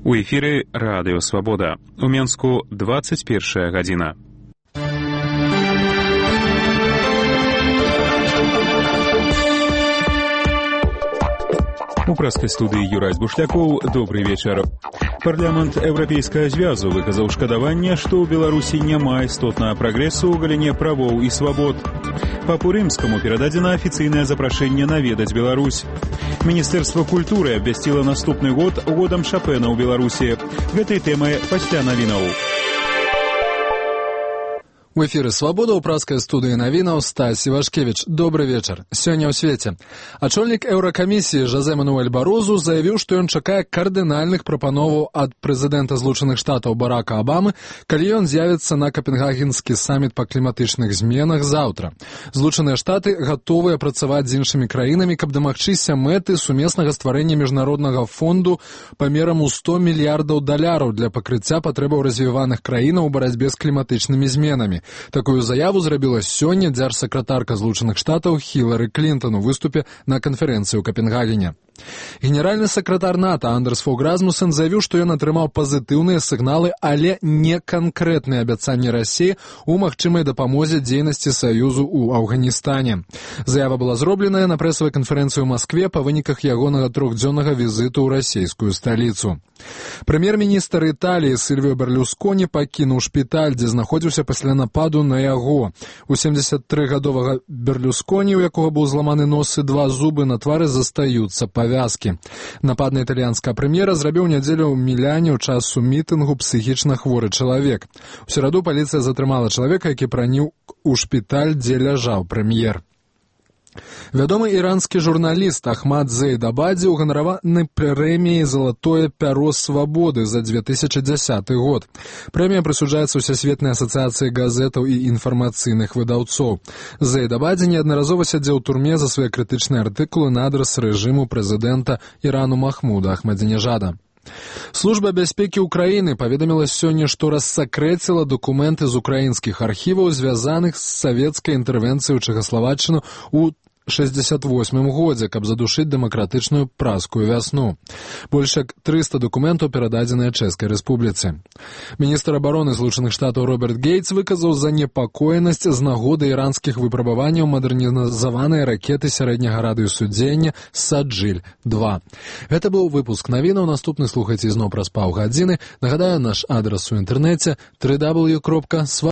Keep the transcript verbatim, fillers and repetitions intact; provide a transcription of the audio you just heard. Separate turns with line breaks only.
У эфіры Радыё Свабода. У Менску двадцать першая гадзіна. У праскай студыі Юрай Бушлякоў. Добрый вечар. Парламент Еўрапейскага звязу выказаў шкадаванне, што ў Беларусі няма істотнага прагрэсу ў галіне правоў і свабод. Папу Рымскаму перададзена афіцыйнае запрашэнне наведаць Беларусь. Міністэрства культуры абвясціла наступны год годам Шапэна ў Беларусі. Гэтай тэмай пасля навінаў.
У эфіры «Свабода» ў праскай студыі навінаў Стась Івашкевіч. Добры вечар. Сёння ў свеце. Ачольнік Еўракамісіі Жозе Мануэль Барозу заявіў, што ён чакае кардынальных прапановаў ад прэзідэнта Злучаных Штатаў Барака Абамы, калі ён з'явіцца на Капенгагенскі саміт па кліматычных зменах заўтра. Злучаныя Штаты гатовыя працаваць з іншымі краінамі, каб дамагчыся мэты сумеснага стварэння міжнароднага фонду памерам у сто мільярдаў даляраў для пакрыцця патрэбаў развіваных краінаў у барацьбе з кліматычнымі зменамі. Такую заяву зрабіла сёння дзяржсакратарка Злучаных Штатаў Хілары Клінтон у выступе на канферэнцыі ў Капенгагене. Генеральны сакратар НАТО Андерс Фог Расмуссен заявіў, што ён атрымаў пазітыўныя сігналы, але не канкрэтныя абяцанні Расіі ў магчымай дапамозе дзейнасці Саюзу ў Афганістане. Заява была зробленая на прэсавай канферэнцыі ў Маскве па выніках ягонага трохдзённага візіту ў расійскую сталіцу. Прэм'ер-міністр Італіі Сільвіо Берлусконі пакінуў шпіталь, дзе знаходзіўся пасля нападу на яго. У семдзесяттрыгадовага Берлусконі, у якога быў зламаны нос і два зубы, на твары застаюцца павязкі. Напад на італьянскага прэм'ера зрабіў нядзелю ў Міляне ў часу мітынгу псіхічна хворы чалавек. У сераду паліцыя затрымала чалавека, які праніў у шпіталь, дзе ляжаў прэм'ер. Вядомы іранскі журналіст Ахмад Зейдабадзе ўганараваны прэміяй «Залатое пяро свабоды» за две тысячи дзясяты год. Прэмія прысуджаецца Усесветнай асацыяцыі газетаў і інфармацыйных выдаўцоў. Зейдабадзе неаднаразова сядзеў у турме за свае крытычныя артыкулы на адрас рэжыму прэзідэнта Ірану Махмуда Ахмадзінежада. Служба бяспекі ўкраіны паведаміла сёння, што рассакрэціла дакументы з украінскіх архіваў, звязаных з савецкай інтэрвенцыяй ў Чэхаславаччыну ў шэсцьдзесят восьмым годзе, каб задушыць дэмакратычную праскую вясну. Больш як трыста дакументаў перададзеныя Чэшскай рэспубліцы. Міністр абароны Злучаных Штатаў Роберт Гейтс выказаў занепакоенасць з нагоды іранскіх выпрабаванняў мадэрнізаванай ракеты сярэдняга радыусу дзеяння Саджыль два. Гэта быў выпуск навінаў. Наступны слухайце ізноў праз паўгадзіны. Нагадаю, наш адрас у інтэрнэце дабл ю дабл ю дабл ю кропка свабода